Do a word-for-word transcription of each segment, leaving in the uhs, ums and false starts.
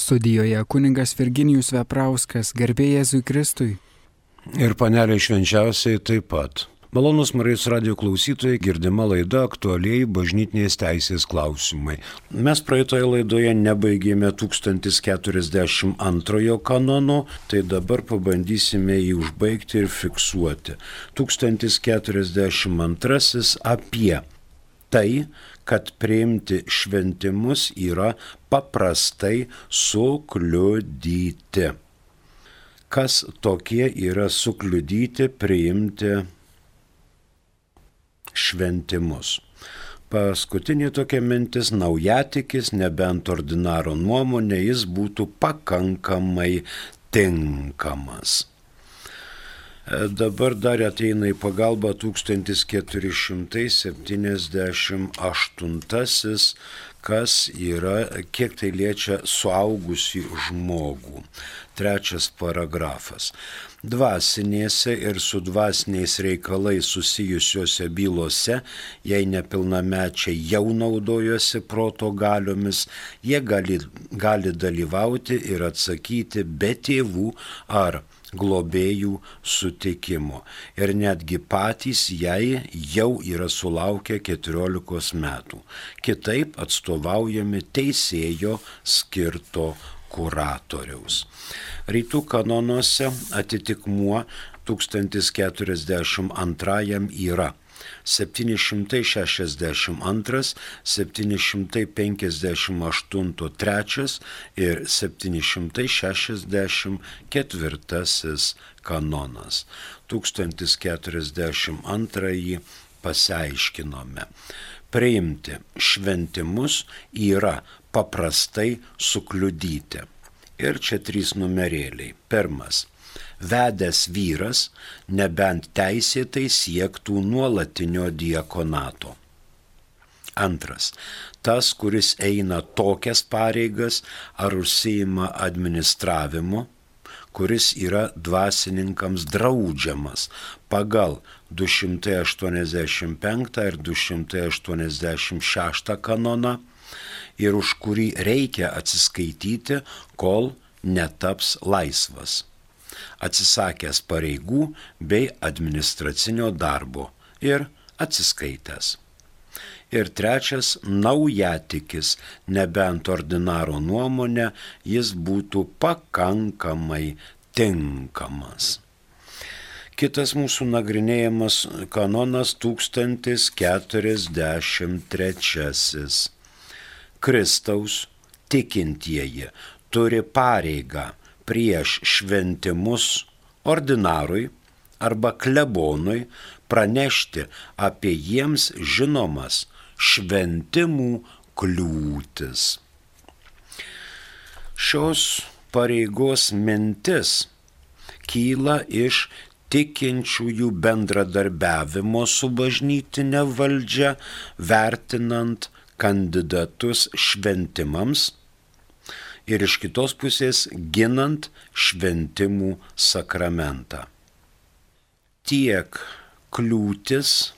Studijoje kunigas Virginijus Veprauskas, garbė Jėzui Kristui. Ir panelė švenčiausiai taip pat. Malonus Marijos radijo klausytojai, girdima laida aktualiai bažnytinės teisės klausimai. Mes praeitoje laidoje nebaigėme tūkstantis keturiasdešimt antrojo kanono, tai dabar pabandysime jį užbaigti ir fiksuoti. tūkstantis keturiasdešimt antrasis apie tai, kad priimti šventimus yra paprastai sukliudyti. Kas tokie yra sukliudyti priimti šventimus? Paskutinė tokia mintis, naujatikis, nebent ordinaro nuomonė, jis būtų pakankamai tinkamas. Dabar dar ateina į pagalbą tūkstantis keturi šimtai septyniasdešimt aštuntasis, kas yra, kiek tai liečia suaugusį žmogų. Trečias paragrafas. Dvasinėse ir su dvasiniais reikalais susijusiuose bylose, jei nepilnamečiai jau naudojosi proto galiomis, jie gali, gali dalyvauti ir atsakyti be tėvų ar globėjų sutikimo. Ir netgi patys jai jau yra sulaukę keturiolikos metų. Kitaip atstovaujami teisėjo skirto kuratoriaus. Rytų kanonuose atitikmuo tūkstantis keturiasdešimt antrajam yra septyni šimtai šešiasdešimt antras, septyni šimtai penkiasdešimt aštuntas trečias ir septyni šimtai šešiasdešimt ketvirtasis kanonas. tūkstantis keturiasdešimt antrąjį pasiaiškinome. Priimti šventimus yra paprastai sukliudyti. Ir čia trys numerėliai. Pirmas. Vedęs vyras, nebent teisėtai siektų nuolatinio diakonato. Antras. Tas, kuris eina tokias pareigas ar užsiima administravimu, kuris yra dvasininkams draudžiamas pagal du šimtai aštuoniasdešimt penktą ir du šimtai aštuoniasdešimt šeštą kanoną ir už kurį reikia atsiskaityti, kol netaps laisvas, atsisakęs pareigų bei administracinio darbo ir atsiskaitęs. Ir trečias, naujatikis, nebent ordinaro nuomonė, jis būtų pakankamai tinkamas. Kitas mūsų nagrinėjamas kanonas tūkstantis keturiasdešimt trečiasis. Kristaus tikintieji turi pareigą prieš šventimus ordinarui arba klebonui pranešti apie jiems žinomas šventimų kliūtis. Šios pareigos mintis kyla iš tikinčiųjų bendradarbiavimo su bažnytine valdžia, vertinant kandidatus šventimams ir iš kitos pusės ginant šventimų sakramentą. Tiek kliūtis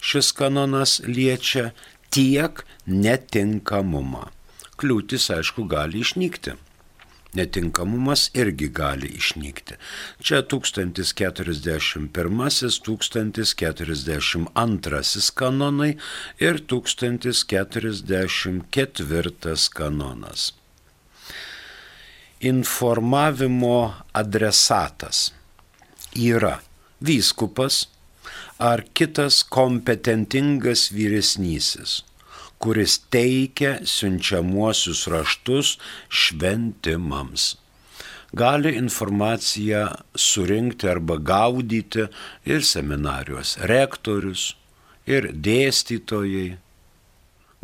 šis kanonas liečia, tiek netinkamumą. Kliūtis, aišku, gali išnykti. Netinkamumas irgi gali išnykti. Čia tūkstantis keturiasdešimt pirmasis, tūkstantis keturiasdešimt antrasis kanonai ir tūkstantis keturiasdešimt ketvirtas kanonas. Informavimo adresatas yra vyskupas ar kitas kompetentingas vyresnysis, kuris teikia siunčiamuosius raštus šventimams. Gali informaciją surinkti arba gaudyti ir seminarijos rektorius, ir dėstytojai.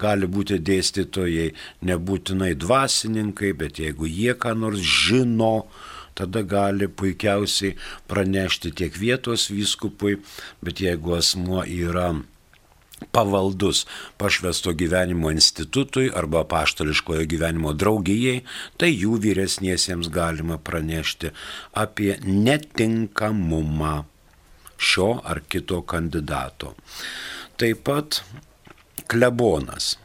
Gali būti dėstytojai nebūtinai dvasininkai, bet jeigu jie ką nors žino, tada gali puikiausiai pranešti tiek vietos vyskupui, bet jeigu asmuo yra pavaldus pašvęsto gyvenimo institutui arba apaštališkojo gyvenimo draugijai, tai jų vyresniesiems galima pranešti apie netinkamumą šio ar kito kandidato. Taip pat klebonas.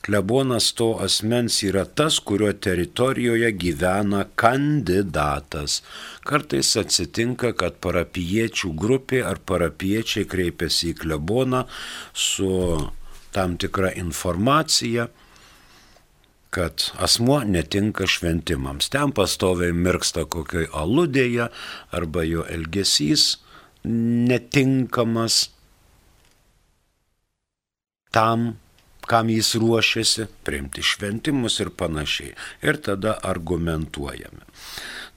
Klebonas to asmens yra tas, kurio teritorijoje gyvena kandidatas. Kartais atsitinka, kad parapijiečių grupė ar parapijiečiai kreipiasi į kleboną su tam tikra informacija, kad asmuo netinka šventimams. Ten pastoviai mirksta kokioj aludėje arba jo elgesys netinkamas tam, kam jis ruošiasi priimti šventimus ir panašiai. Ir tada argumentuojame.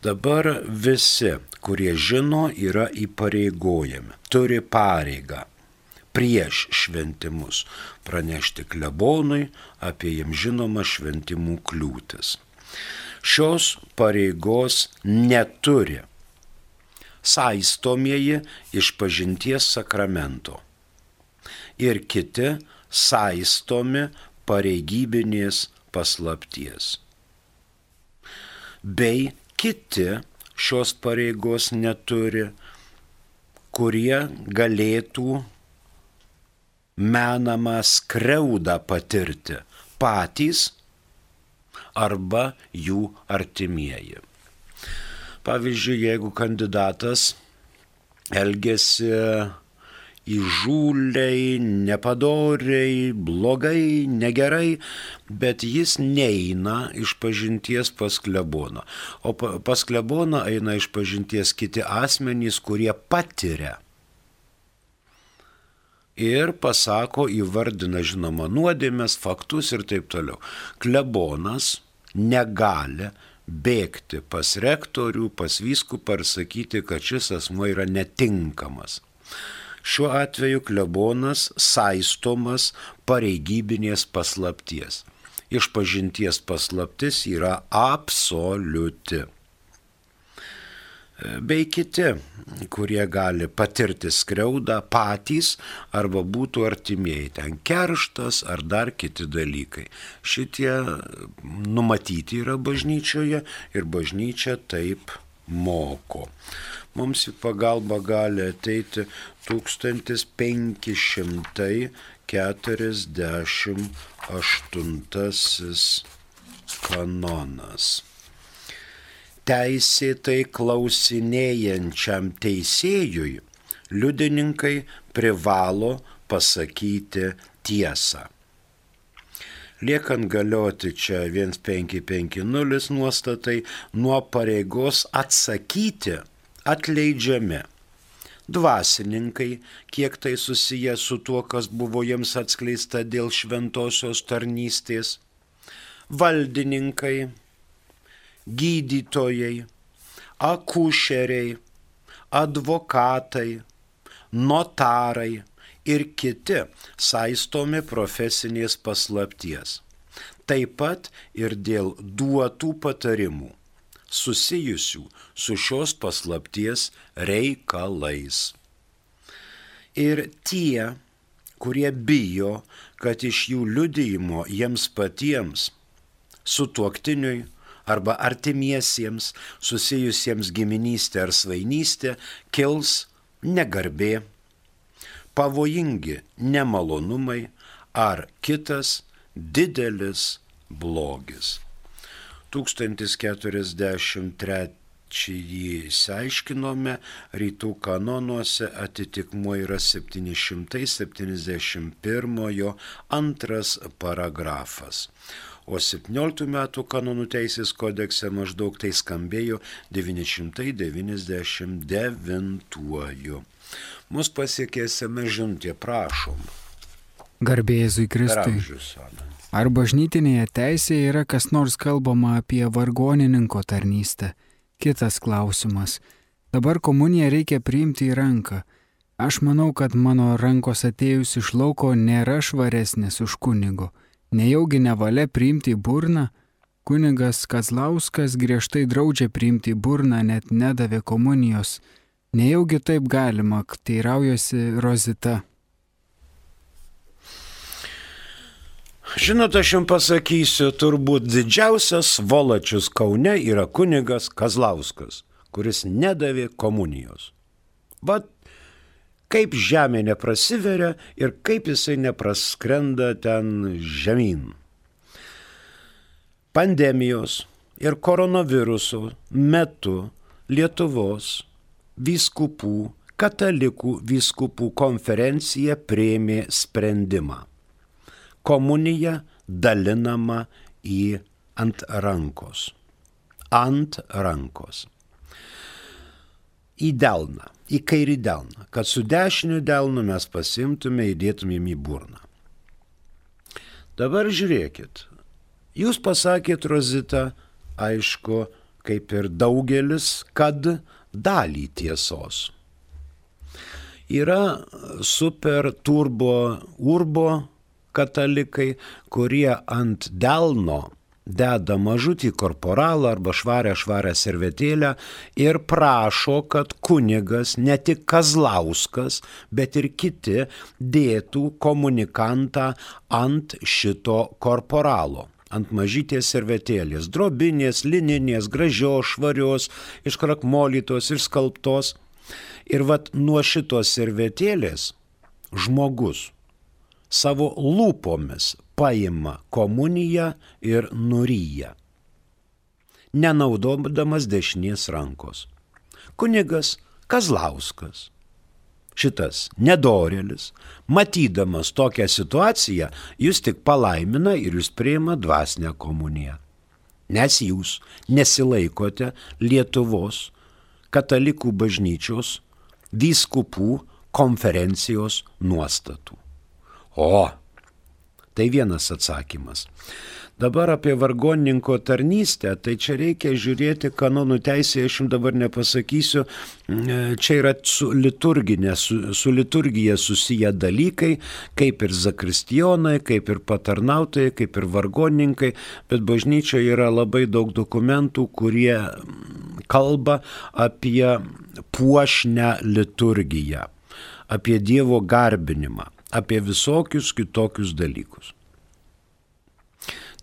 Dabar visi, kurie žino, yra įpareigojami, turi pareigą prieš šventimus pranešti klebonui apie jam žinomą šventimų kliūtis. Šios pareigos neturi saistomieji išpažinties sakramento ir kiti saistomi pareigybinės paslapties. Bei kiti šios pareigos neturi, kurie galėtų menamą skriaudą patirti patys arba jų artimieji. Pavyzdžiui, jeigu kandidatas elgiasi įžūliai, nepadoriai, blogai, negerai, bet jis neina išpažinties pas kleboną. O pas kleboną eina išpažinties kiti asmenys, kurie patiria ir pasako, įvardina žinoma nuodėmes, faktus ir taip toliau. Klebonas negali bėgti pas rektorių, pas vyskupą ir sakyti, kad šis asmuo yra netinkamas. Šiuo atveju klebonas saistomas pareigybinės paslapties. Išpažinties paslaptis yra absoliuti. Bei kiti, kurie gali patirti skriaudą patys arba būtų artimieji, ten kerštas ar dar kiti dalykai. Šitie numatyti yra bažnyčioje ir bažnyčia taip moko. Mums į pagalbą gali ateiti tūkstantis penki šimtai keturiasdešimt aštuntasis kanonas. Teisėtai klausinėjančiam teisėjui liudininkai privalo pasakyti tiesą. Liekant galioti čia vienas penki penki nulis nuostatai, nuo pareigos atsakyti atleidžiami dvasininkai, kiek tai susiję su tuo, kas buvo jiems atskleista dėl šventosios tarnystės, valdininkai, gydytojai, akušeriai, advokatai, notarai ir kiti saistomi profesinės paslapties. Taip pat ir dėl duotų patarimų susijusių su šios paslapties reikalais. Ir tie, kurie bijo, kad iš jų liudijimo jiems patiems, sutuoktiniui arba artimiesiems susijusiems giminystė ar svainystė, kils negarbė, pavojingi nemalonumai ar kitas didelis blogis. tūkstantis keturiasdešimt trečiąjį išsiaiškinome, rytų kanonuose atitikmuo yra septyni šimtai septyniasdešimt pirmojo antras paragrafas. O septynioliktų metų kanonų teisės kodekse maždaug tai skambėjo devyni šimtai devyniasdešimt devintuoju. Mus pasiekėsime žinutė, prašom. Garbė Jėzui Kristui. Ar bažnytinėje teisėje yra kas nors kalbama apie vargonininko tarnystę? Kitas klausimas. Dabar komuniją reikia priimti į ranką. Aš manau, kad mano rankos atėjus iš lauko nėra švaresnės už kunigo. Nejaugi nevalia priimti į burną? Kunigas Kazlauskas griežtai draudžia priimti į burną, net nedavė komunijos. Nejaugi taip galima, teiraujosi Rozita. Žinot, aš jums pasakysiu, turbūt didžiausias svolačius Kaune yra kunigas Kazlauskas, kuris nedavė komunijos. Vat kaip žemė neprasiveria ir kaip jisai nepraskrenda ten žemyn. pandemijos ir koronaviruso metu Lietuvos vyskupų, katalikų vyskupų konferencija priėmė sprendimą. Komunija dalinama į ant rankos. Ant rankos. Į delną, į kairį delną, kad su dešiniu delnu mes pasimtume, įdėtumėm į burną. Dabar žiūrėkit, jūs pasakėt, Rozita, aišku, kaip ir daugelis, kad dalį tiesos. Yra super turbo urbo katalikai, kurie ant delno deda mažutį korporalą arba švarę švarę servetėlę ir prašo, kad kunigas, ne tik Kazlauskas, bet ir kiti dėtų komunikantą ant šito korporalo, ant mažytės servetėlės, drobinės, lininės, gražios, švarios, iškrakmolytos ir skalbtos. Ir vat nuo šitos servetėlės žmogus savo lūpomis paima komuniją ir nuryja, nenaudodamas dešinės rankos. Kunigas Kazlauskas, šitas nedorėlis, matydamas tokią situaciją, jūs tik palaimina ir jūs priima dvasinę komuniją. Nes jūs nesilaikote Lietuvos katalikų bažnyčios vyskupų konferencijos nuostatų. O, tai vienas atsakymas. Dabar apie vargonininko tarnystę, tai čia reikia žiūrėti kanonų teisėje, aš jums dabar nepasakysiu, čia yra su liturginė, su, su liturgija susiję dalykai, kaip ir zakristijonai, kaip ir patarnautojai, kaip ir vargonininkai, bet bažnyčioje yra labai daug dokumentų, kurie kalba apie puošnę liturgiją, apie Dievo garbinimą, apie visokius kitokius dalykus.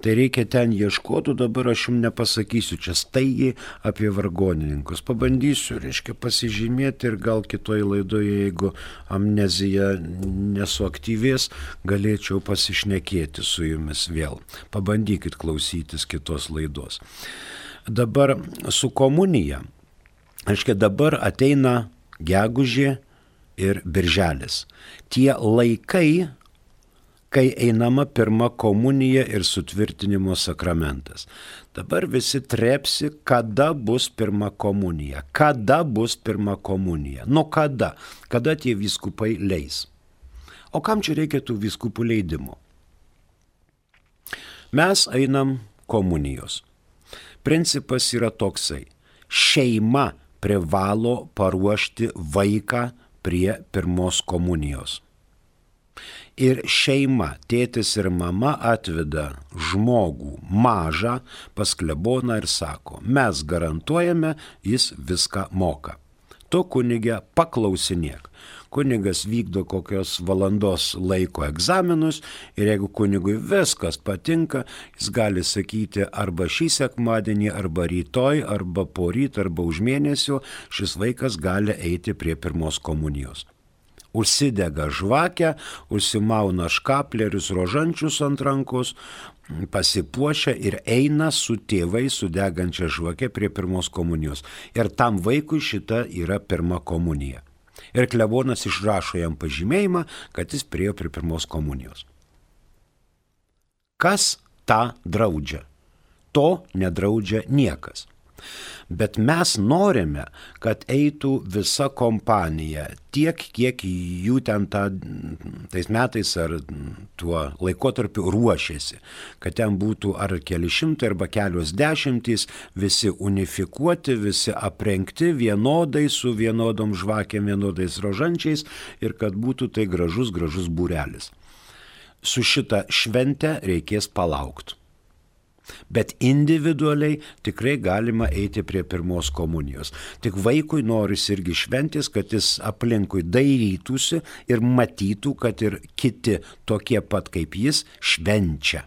Tai reikia ten ieškoti, dabar aš jums nepasakysiu čia staigiai apie vargonininkus. Pabandysiu, reiškia, pasižymėti ir gal kitoj laidoje, jeigu amnezija nesuaktyvės, galėčiau pasišnekėti su jumis vėl. Pabandykit klausytis kitos laidos. Dabar su komunija, reiškia, dabar ateina gegužė ir birželis. Tie laikai, kai einama pirma komunija ir sutvirtinimo sakramentas. Dabar visi trepsi, kada bus pirma komunija. Kada bus pirma komunija? Nu kada? Kada tie vyskupai leis? O kam čia reikia tų vyskupų leidimo? Mes einam komunijos. Principas yra toksai. Šeima privalo paruošti vaiką prie pirmos komunijos. Ir šeima, tėtis ir mama atveda žmogų mažą pas kleboną ir sako, mes garantuojame, jis viską moka. Tu, kunige, paklausinėk. Kunigas vykdo kokios valandos laiko egzaminus ir jeigu kunigui viskas patinka, jis gali sakyti arba šį sekmadienį, arba rytoj, arba poryt, arba už mėnesio, šis vaikas gali eiti prie pirmos komunijos. Užsidega žvakę, užsimauna škaplerius rožančius ant rankos, pasipuošia ir eina su tėvai su degančia žvake prie pirmos komunijos. Ir tam vaikui šita yra pirma komunija. Ir klebonas išrašo jam pažymėjimą, kad jis priėjo prie pirmos komunijos. Kas tą draudžia? To nedraudžia niekas. Bet mes norime, kad eitų visa kompanija, tiek, kiek jų ten ta, tais metais ar tuo laikotarpiu ruošėsi, kad ten būtų ar keli šimtai arba kelios dešimtys, visi unifikuoti, visi aprengti vienodai, su vienodom žvakėm, vienodais rožančiais ir kad būtų tai gražus, gražus būrelis. Su šita švente reikės palaukti. Bet individualiai tikrai galima eiti prie pirmos komunijos. Tik vaikui norisi irgi šventės, kad jis aplinkui dairytųsi ir matytų, kad ir kiti tokie pat kaip jis švenčia.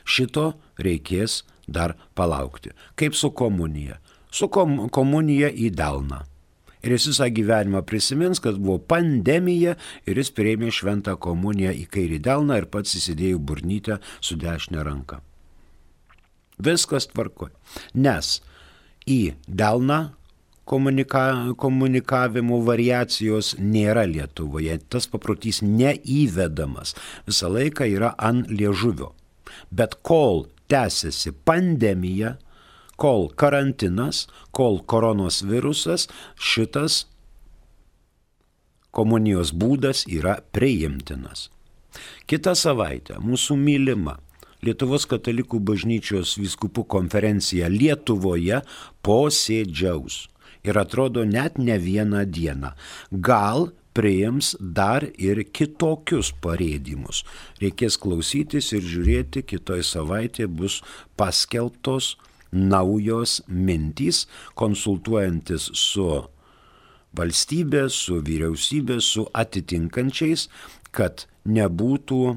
Šito reikės dar palaukti. Kaip su komunija? Su kom- komunija į delną. Ir jis visą gyvenimą prisimins, kad buvo pandemija ir jis priėmė šventą komuniją į kairį delną ir pats įsidėjo burnytę su dešinė ranka. Viskas tvarkoj. Nes į delną komunika, komunikavimo variacijos nėra Lietuvoje. Tas paprotys neįvedamas. Visą laiką yra ant liežuvio. Bet kol tęsiasi pandemija, kol karantinas, kol koronos virusas, šitas komunijos būdas yra priimtinas. Kitą savaitę mūsų mylima Lietuvos katalikų bažnyčios vyskupų konferencija Lietuvoje posėdžiaus. Ir atrodo net ne vieną dieną. Gal priims dar ir kitokius parėdimus. Reikės klausytis ir žiūrėti, kitoj savaitė bus paskelbtos naujos mintys, konsultuojantis su valstybė, su vyriausybė, su atitinkančiais, kad nebūtų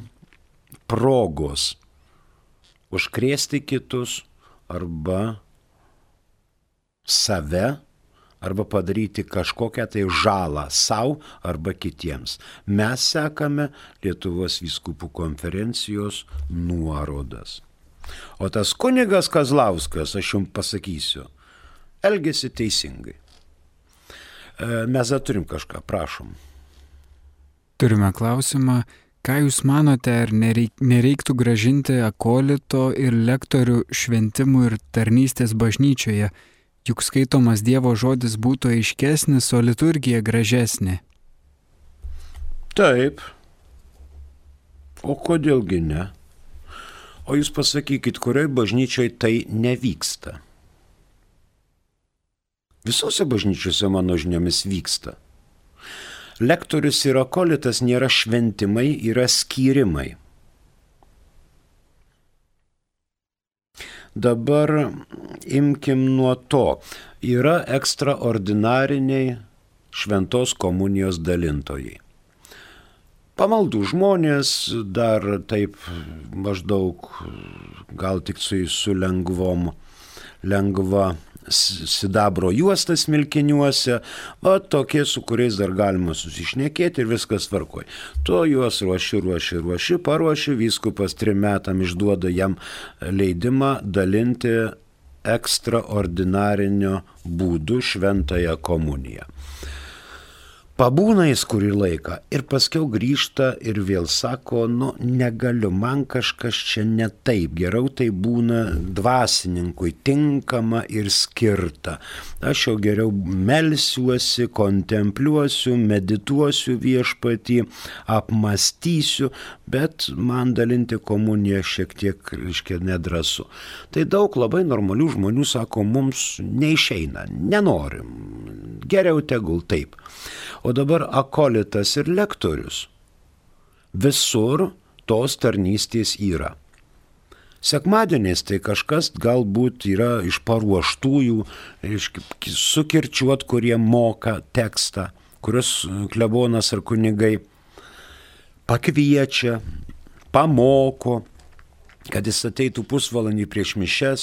progos užkrėsti kitus arba save, arba padaryti kažkokią tai žalą savo arba kitiems. Mes sekame Lietuvos vyskupų konferencijos nuorodas. O tas kunigas Kazlauskas, aš jums pasakysiu, elgėsi teisingai. Mes dar turim kažką, prašom. Turime klausimą. Ką Jūs manote, ar nereiktų grąžinti akolito ir lektorių šventimų ir tarnystės bažnyčioje? Juk skaitomas Dievo žodis būtų aiškesnis, o liturgija gražesnė. Taip. O kodėlgi ne? O jūs pasakykit, kurioj bažnyčioj tai nevyksta? Visose bažnyčiose mano žiniomis vyksta. Lektorius ir akolitas nėra šventimai, yra skyrimai. Dabar imkim nuo to. Yra ekstraordinariniai šventos komunijos dalintojai. Pamaldų žmonės dar taip maždaug gal tik su, su lengvom, lengva sidabro juostas smilkiniuose, o tokie, su kuriais dar galima susišnekėti ir viskas tvarkoj. Tu juos ruoši, ruoši, ruoši, paruoši, vyskupas trim metam išduoda jam leidimą dalinti ekstraordinarinio būdu šventąją komuniją. Pabūna jis kurį laiką ir paskiau grįžta ir vėl sako, nu negaliu, man kažkas čia ne taip, geriau tai būna dvasininkui tinkama ir skirta. Aš jau geriau melsiuosi, kontempliuosiu, medituosiu viešpatį, apmastysiu, bet man dalinti komuniją šiek tiek, reiškia, nedrąsu. Tai daug labai normalių žmonių sako, mums neišeina, nenorim, geriau tegul taip. O dabar akolitas ir lektorius. Visur tos tarnystės yra. Sekmadieniais tai kažkas galbūt yra iš paruoštųjų, sukirčiuot, kurie moka tekstą, kurios klebonas ar kunigai pakviečia, pamoko, kad jis ateitų pusvalandį prieš mišias,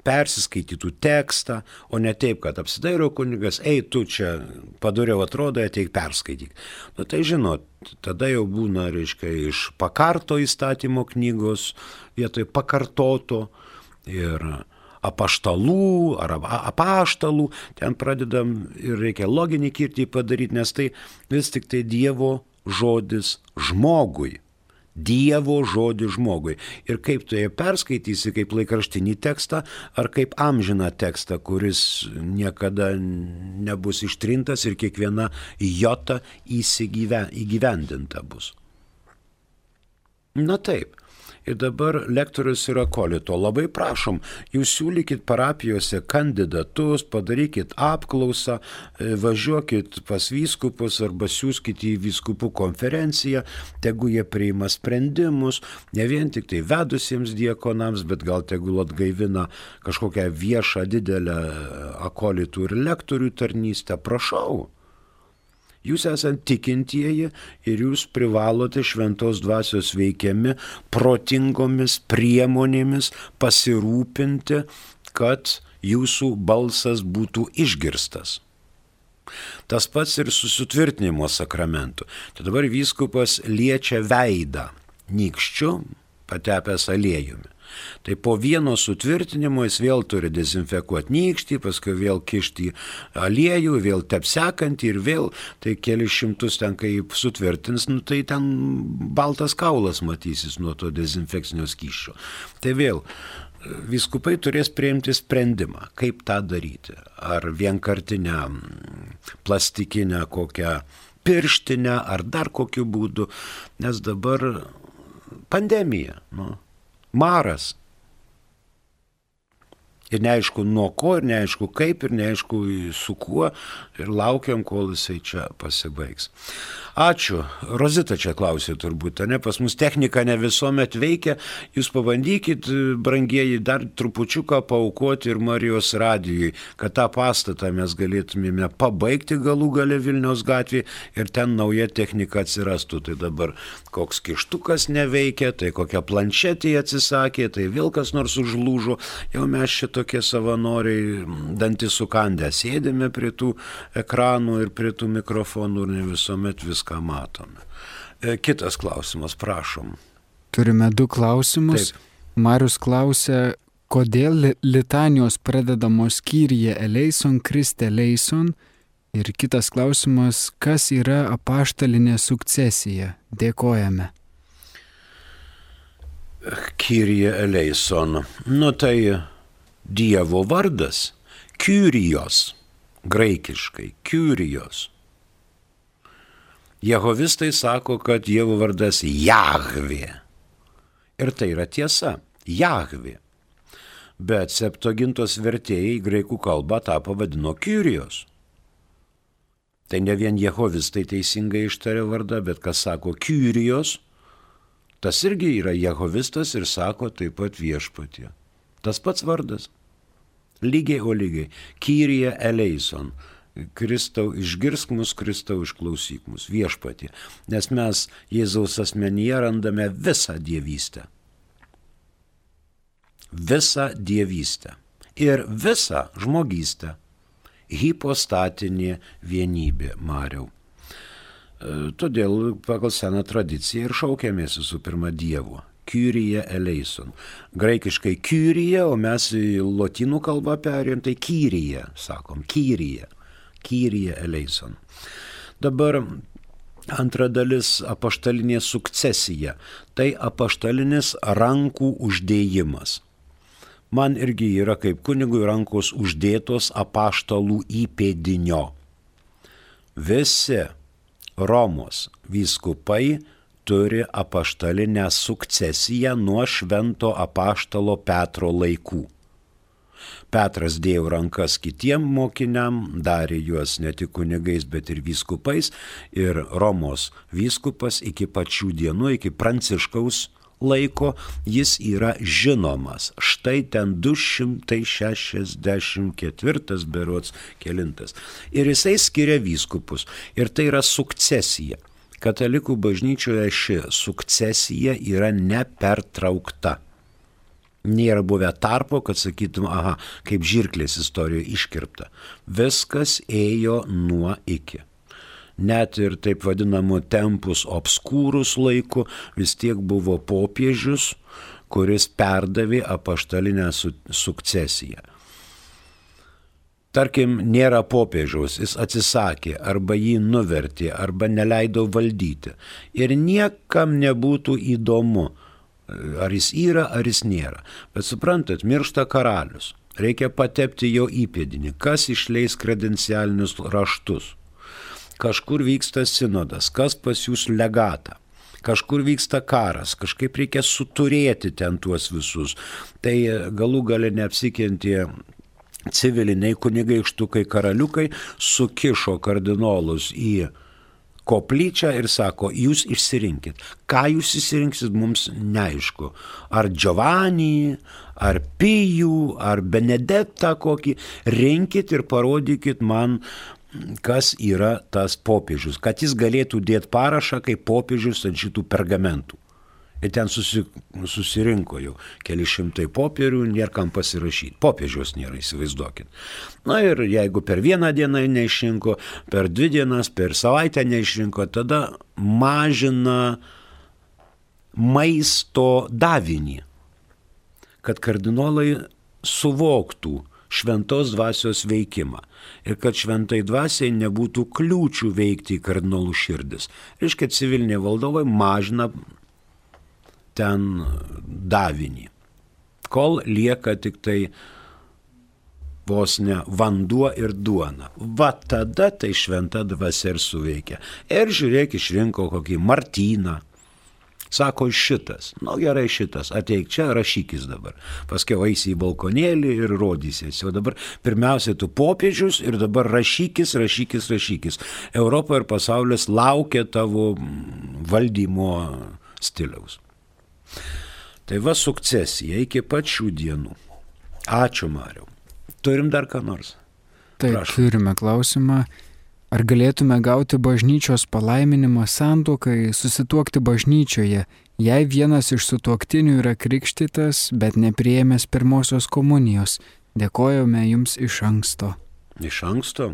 persiskaitytų tekstą, o ne taip, kad apsidairo kunigas, ei, tu čia padoriau atrodo, ateik perskaityk. Nu tai žinot, tada jau būna, reiškia, iš pakarto įstatymo knygos vietoj pakartoto ir apaštalų ar apaštalų, ten pradedam ir reikia loginį kirtį padaryti, nes tai vis tik tai Dievo žodis žmogui. Dievo žodį žmogui. Ir kaip tu ją perskaitysi, kaip laikraštinį tekstą, ar kaip amžiną tekstą, kuris niekada nebus ištrintas ir kiekviena jota įgyvendinta bus. Na taip. Ir dabar lektorius ir akolito. Labai prašom, jūs siūlykit parapijose kandidatus, padarykit apklausą, važiuokit pas vyskupus arba siųskit į vyskupų konferenciją, tegu jie priima sprendimus, ne vien tik tai vedusiems diakonams, bet gal tegul atgaivina kažkokią viešą didelę akolitų ir lektorių tarnystę. Prašau. Jūs esate tikintieji ir jūs privalote šventos dvasios veikiami protingomis priemonėmis pasirūpinti, kad jūsų balsas būtų išgirstas. Tas pats ir su sutvirtinimo sakramentu. Tai dabar vyskupas liečia veidą nykščiu, patepęs aliejumi. Tai po vieno sutvirtinimo jis vėl turi dezinfekuoti nykštį, paskui vėl kišti aliejų, vėl tepsekantį ir vėl, tai keli šimtus ten, kai sutvirtins, nu, tai ten baltas kaulas matysis nuo to dezinfekcinio skysčio. Tai vėl vyskupai turės priimti sprendimą, kaip tą daryti. Ar vienkartinę plastikinę kokią pirštinę, ar dar kokiu būdu, nes dabar pandemija, nu, maras. Ir neaišku nuo ko, ir neaišku kaip, ir neaišku su kuo, ir laukiam, kol jisai čia pasibaigs. Ačiū. Rozita čia klausė turbūt, ne? Pas mus technika ne visuomet veikia. Jūs pabandykit, brangieji, dar trupučiuką paaukoti ir Marijos radijui, kad tą pastatą mes galėtumėme pabaigti galų gale Vilniaus gatvėje ir ten nauja technika atsirastų. Tai dabar koks kištukas neveikia, tai kokia planšetė atsisakė, tai vėl kas nors užlūžo. Jau mes čia tokie savanoriai dantis sukandę sėdėme prie tų ekranų ir prie tų mikrofonų ir ne visuomet viską ką matome. Kitas klausimas, prašom. Turime du klausimus. Taip. Marius klausia, kodėl litanijos pradedamos Kyrie eleison, Kriste eleison. Ir kitas klausimas, kas yra apaštalinė sukcesija? Dėkojame. Kyrie eleison. Nu tai Dievo vardas. Kyrios. Graikiškai. Kyrios. Jehovistai sako, kad Dievo vardas Jahvė. Ir tai yra tiesa. Jahvė. Bet Septuagintos vertėjai graikų kalbą tą pavadino Kyrios. Tai ne vien Jehovistai teisingai ištarė vardą, bet kas sako Kyrios, tas irgi yra Jehovistas ir sako taip pat viešpatie. Tas pats vardas. Lygiai o lygiai. Kyrie eleison. Kristau, išgirsk mus, Kristau, išklausyk mus, viešpatie, nes mes Jėzaus asmenyje randame visą dievystę. Visą dievystę ir visą žmogystę. Hipostatinė vienybė, Mariau. Todėl pagal seną tradiciją ir šaukėmės visų pirma Dievo. Kyrie eleison. Graikiškai Kyrie, o mes į lotynų kalbą perėjom, tai Kyrie, sakom, Kyrie. Kyrie eleison. Dabar antra dalis apaštalinė sukcesija. Tai apaštalinis rankų uždėjimas. Man irgi yra kaip kunigui rankos uždėtos apaštalų įpėdinio. Visi Romos vyskupai turi apaštalinę sukcesiją nuo švento apaštalo Petro laikų. Petras dėjo rankas kitiem mokiniam, darė juos ne tik kunigais, bet ir vyskupais. Ir Romos vyskupas iki pačių dienų, iki Pranciškaus laiko, jis yra žinomas. Štai ten du šimtai šešiasdešimt ketvirtas berods kelintas. Ir jisai skiria vyskupus. Ir tai yra sukcesija. Katalikų bažnyčioje ši sukcesija yra nepertraukta. Nėra buvę tarpo, kad sakytum, aha, kaip žirklės istorijoje iškirpta. Viskas ėjo nuo iki. Net ir taip vadinamų tempus obskūrus laiku vis tiek buvo popiežius, kuris perdavė apaštalinę su- sukcesiją. Tarkim, nėra popiežiaus, jis atsisakė, arba jį nuvertė, arba neleido valdyti. Ir niekam nebūtų įdomu, ar jis yra, ar jis nėra. Bet suprantat, miršta karalius. Reikia patepti jo įpėdinį. Kas išleis kredencialinius raštus? Kažkur vyksta sinodas, kas pasiūs legatą. Kažkur vyksta karas, kažkaip reikia suturėti ten tuos visus. Tai galų gale neapsikentė civiliniai kunigaikštukai karaliukai, sukišo kardinolus į koplyčią ir sako, jūs išsirinkit. Ką jūs išsirinksit, mums neaišku. Ar Giovanni, ar Pijų, ar Benedektą kokį. Rinkit ir parodykit man, kas yra tas popiežius. Kad jis galėtų dėti parašą kaip popiežius ant šitų pergamentų. Ir ten susi, susirinko jau keli šimtai popierių, nėra kam pasirašyti. Popiežiaus nėra, įsivaizduokit. Na ir jeigu per vieną dieną neišrinko, per dvi dienas, per savaitę neišrinko, tada mažina maisto davinį. kad kardinolai suvoktų šventos dvasios veikimą ir kad šventai dvasiai nebūtų kliūčių veikti į kardinolų širdis. Reiškia, civiliniai valdovai mažina ten davinį, kol lieka tik tai vos ne vanduo ir duona. Va tada tai šventa dvasia ir suveikia. Ir žiūrėk, išrinko kokį Martyną. Sako, šitas, nu gerai šitas, ateik čia, rašykis dabar. Paskiau eisi į balkonėlį ir rodysies. O dabar pirmiausia tu popiežius ir dabar rašykis, rašykis, rašykis. Europa ir pasaulis laukia tavo valdymo stiliaus. Tai va sukcesija iki pat šių dienų. Ačiū, Mariau. Turim dar ką nors? Taip, prašau. Turime klausimą. Ar galėtume gauti bažnyčios palaiminimą santuokai, susituokti bažnyčioje, jei vienas iš sutuoktinių yra krikštytas, bet nepriėmęs pirmosios komunijos? Dėkojame jums iš anksto. Iš anksto?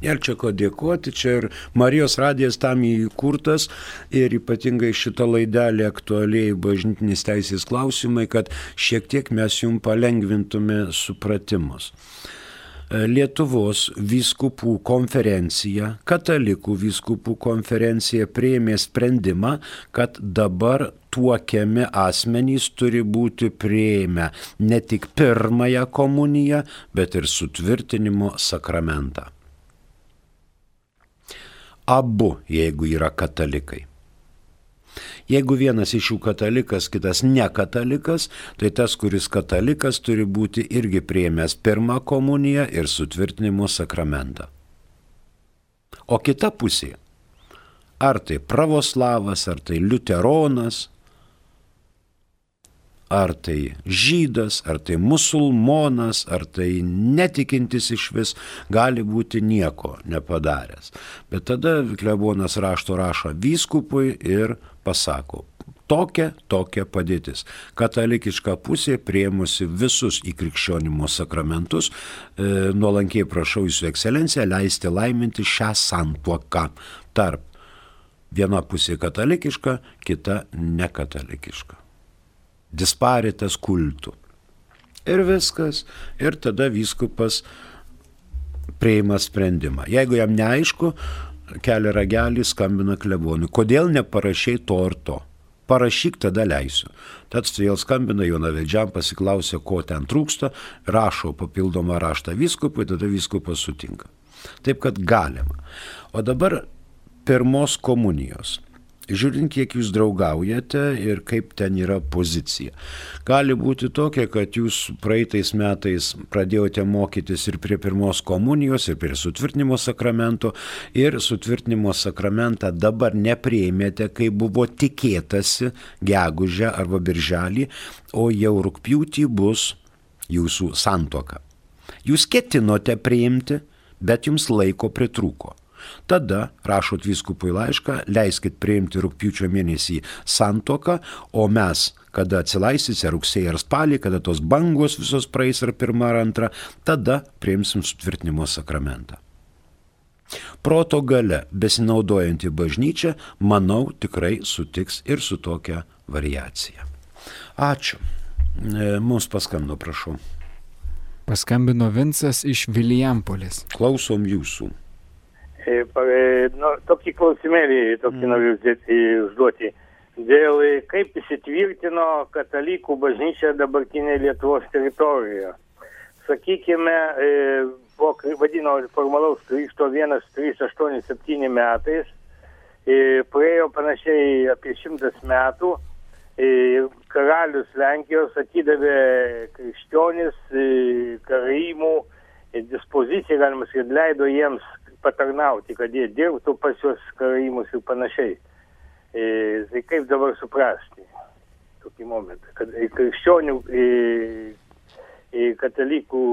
Nėra čia ko dėkoti, čia ir Marijos radijas tam įkurtas ir ypatingai šitą laidelį aktualiai bažnytinės teisės klausimai, kad šiek tiek mes jums palengvintume supratimus. Lietuvos vyskupų konferencija, katalikų vyskupų konferencija priėmė sprendimą, kad dabar tuokiami asmenys turi būti priėmę ne tik pirmąją komuniją, bet ir sutvirtinimo sakramentą. Abu, jeigu yra katalikai. Jeigu vienas iš jų katalikas, kitas ne katalikas, tai tas, kuris katalikas, turi būti irgi priėmęs pirmą komuniją ir sutvirtinimo sakramentą. O kita pusė, ar tai pravoslavas, ar tai liuteronas, ar tai žydas, ar tai musulmonas, ar tai netikintis iš vis, gali būti nieko nepadaręs. Bet tada klebonas rašto rašo vyskupui ir pasako, tokia, tokia padėtis. Katalikiška pusė priėmusi visus į krikščionimo sakramentus, e, nuolankiai prašau jūsų ekscelenciją leisti laiminti šią santuoką tarp viena pusė katalikiška, kita nekatalikiška. Disparitas kultų. Ir viskas. Ir tada vyskupas priima sprendimą. Jeigu jam neaišku, kelia ragelį, skambina klebonui. Kodėl neparašai to ir to? Parašyk, tada leisiu. Tad vėl skambina jaunavedžiam, pasiklausia, ko ten trūksta, rašo papildomą raštą vyskupui, tada vyskupas sutinka. Taip, kad galima. O dabar pirmos komunijos. Žiūrint, kiek jūs draugaujate ir kaip ten yra pozicija. Gali būti tokia, kad jūs praeitais metais pradėjote mokytis ir prie pirmos komunijos, ir prie sutvirtinimo sakramento, ir sutvirtinimo sakramentą dabar nepriėmėte, kai buvo tikėtasi gegužę arba birželį, o jau rugpjūtį bus jūsų santuoka. Jūs ketinote priimti, bet jums laiko pritrūko. Tada rašot vyskupui laišką, leiskit priimti rugpjūčio mėnesį santuoką, o mes, kada atsilaisysite rugsėjį ar spalį, kada tos bangos visos praeis ar pirmą ar antrą, tada priimsim sutvirtinimo sakramentą. Proto gale besinaudojanti bažnyčia, manau, tikrai sutiks ir su tokia variacija. Ačiū. Mums paskambino, prašau. Paskambino Vincas iš Vilijampolės. Klausom jūsų. Nu, tokį klausimėlį, tokį mm. noriu užduoti. Dėl kaip įsitvirtino katalikų bažnyčia dabartinėje Lietuvos teritorijoje. Sakykime, po vadino formalaus krikšto šimtas aštuoniasdešimt septyni metais, praėjo panašiai apie šimtas metų, karalius Lenkijos atidavė krikščionis karaimų dispoziciją, galima sakyti, leido jiems patarnauti, kad jie dirbtų pas juos karaimus ir panašiai. E, tai kaip dabar suprasti tokį momentą, kad krikščionių, e, e, katalikų,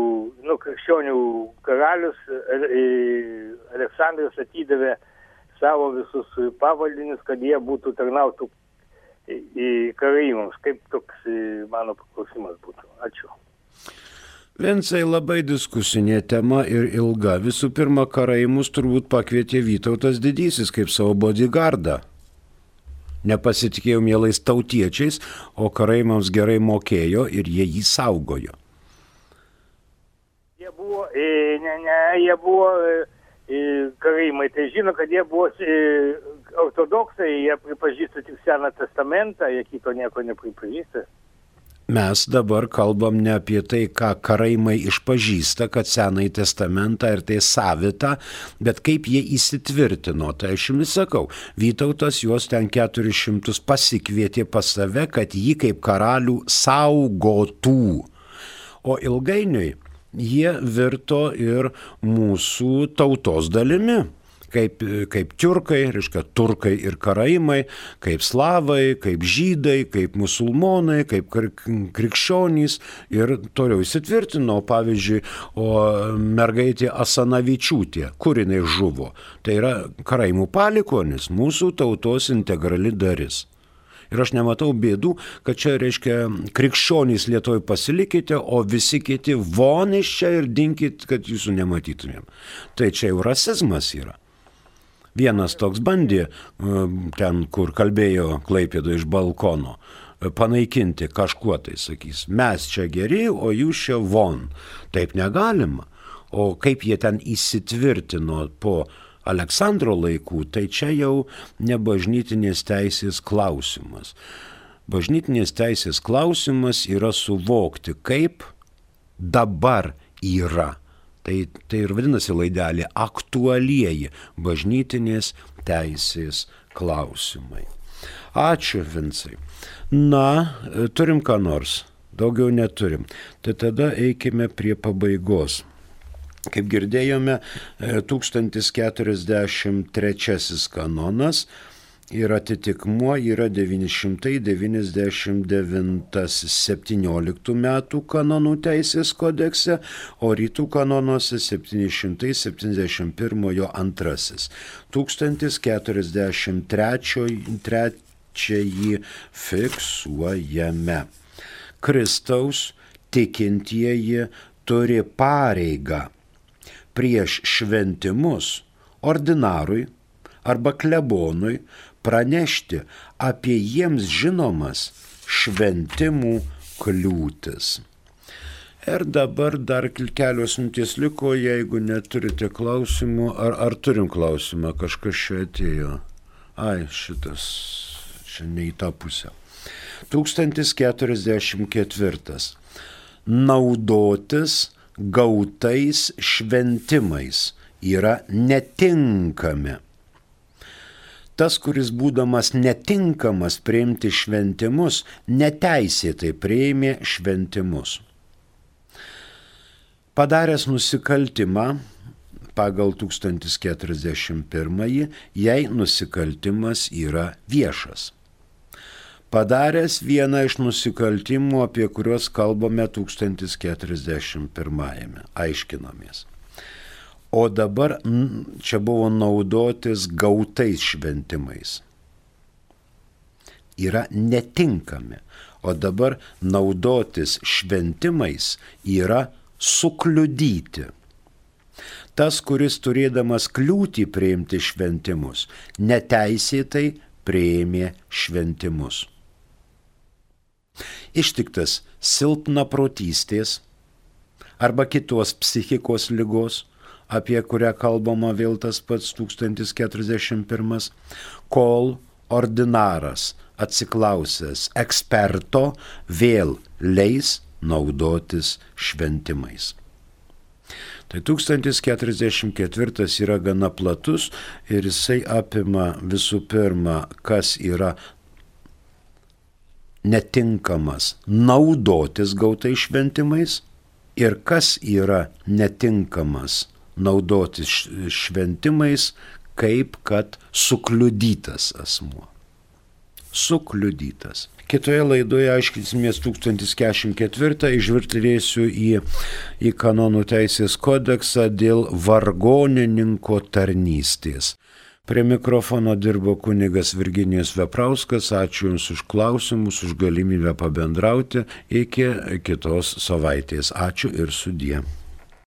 nu, krikščionių karalius e, Aleksandras atidavė savo visus pavaldinius, kad jie būtų tarnautų į, į karaimams. Kaip toks e, mano paklausimas būtų? Ačiū. Vincai, labai diskusinė tema ir ilga. Visų pirma, karaimus turbūt pakvietė Vytautas Didysis kaip savo bodyguardą. nepasitikėjo mielais tautiečiais, o karaimams gerai mokėjo ir jie jį saugojo. Jie buvo, ne, ne, jie buvo karaimai, tai žino, kad jie buvo ortodoksai, jie pripažįsta tik Seną testamentą, jie kito nieko nepripažįsta. Mes dabar kalbam ne apie tai, ką karaimai išpažįsta, kad Senąjį testamentą ir tai savita, bet kaip jie įsitvirtino. Tai aš jums sakau, Vytautas juos ten keturis šimtus pasikvietė pas save, kad jį kaip karalių saugotų. O ilgainiui jie virto ir mūsų tautos dalimi. Kaip, kaip tiurkai, reiškia turkai ir karaimai, kaip slavai, kaip žydai, kaip musulmonai, kaip krikščionys ir toliau įsitvirtino. Pavyzdžiui, o mergaitė Asanavičiūtė, kur jinai žuvo, tai yra karaimų palikuonis, mūsų tautos integrali dalis. Ir aš nematau bėdų, kad čia, reiškia, krikščionys Lietuvoje pasilikite, o visi kiti von iš čia ir dinkit, kad jūsų nematytumėm. Tai čia jau rasizmas yra. Vienas toks bandė, ten, kur kalbėjo Klaipėdoje iš balkono, panaikinti kažkuo, tai sakys, mes čia geri, o jūs čia von. Taip negalima. O kaip jie ten įsitvirtino po Aleksandro laikų, tai čia jau ne bažnytinės teisės klausimas. Bažnytinės teisės klausimas yra suvokti, kaip dabar yra. Tai, tai ir vadinasi laidelė aktualieji bažnytinės teisės klausimai. Ačiū, Vincai. Na, turim ką nors, daugiau neturim. Tai tada eikime prie pabaigos. Kaip girdėjome, tūkstantis keturiasdešimt trečiasis kanonas ir atitikmuo yra devyni šimtai devyniasdešimt devintasis septynioliktų metų kanonų teisės kodekse, o rytų kanonuose septyni šimtai septyniasdešimt pirmojo antrasis. tūkstantis keturiasdešimt trečiąjį fiksuojame. Kristaus tikintieji turi pareigą prieš šventimus ordinarui arba klebonui pranešti apie jiems žinomas šventimų kliūtis. Ir dabar dar kelios minutės liko, jeigu neturite klausimų, ar, ar turim klausimą, kažkas čia atėjo. Ai, šitas, čia ne į tą pusę. tūkstantis keturiasdešimt ketvirtas. Naudotis gautais šventimais yra netinkami. Tas, kuris būdamas netinkamas priimti šventimus, neteisėtai priėmė šventimus. Padaręs nusikaltimą pagal tūkstantis keturiasdešimt pirmąjį, jei nusikaltimas yra viešas. Padaręs vieną iš nusikaltimų, apie kuriuos kalbame tūkstantis keturiasdešimt pirmajame, aiškinomės. O dabar čia buvo naudotis gautais šventimais. Yra netinkami. O dabar naudotis šventimais yra sukliudyti. Tas, kuris turėdamas kliūtį priimti šventimus, neteisėtai priėmė šventimus. Ištiktas silpnaprotystės arba kitos psichikos ligos, apie kurią kalbama vėl tas pats tūkstantis keturiasdešimt pirmas, kol ordinaras atsiklausęs eksperto vėl leis naudotis šventimais. Tai tūkstantis keturiasdešimt ketvirtas yra gana platus ir jisai apima visų pirma, kas yra netinkamas naudotis gautais šventimais ir kas yra netinkamas naudotis šventimais, kaip kad sukliudytas asmuo. Sukliudytas. Kitoje laidoje aiškinsimės tūkstantis keturiasdešimt ketvirtą, išvirtlėsiu į, į kanonų teisės kodeksą dėl vargonininko tarnystės. Prie mikrofono dirbo kunigas Virginijus Veprauskas. Ačiū Jums už klausimus, už galimybę pabendrauti. Iki kitos savaitės. Ačiū ir sudie.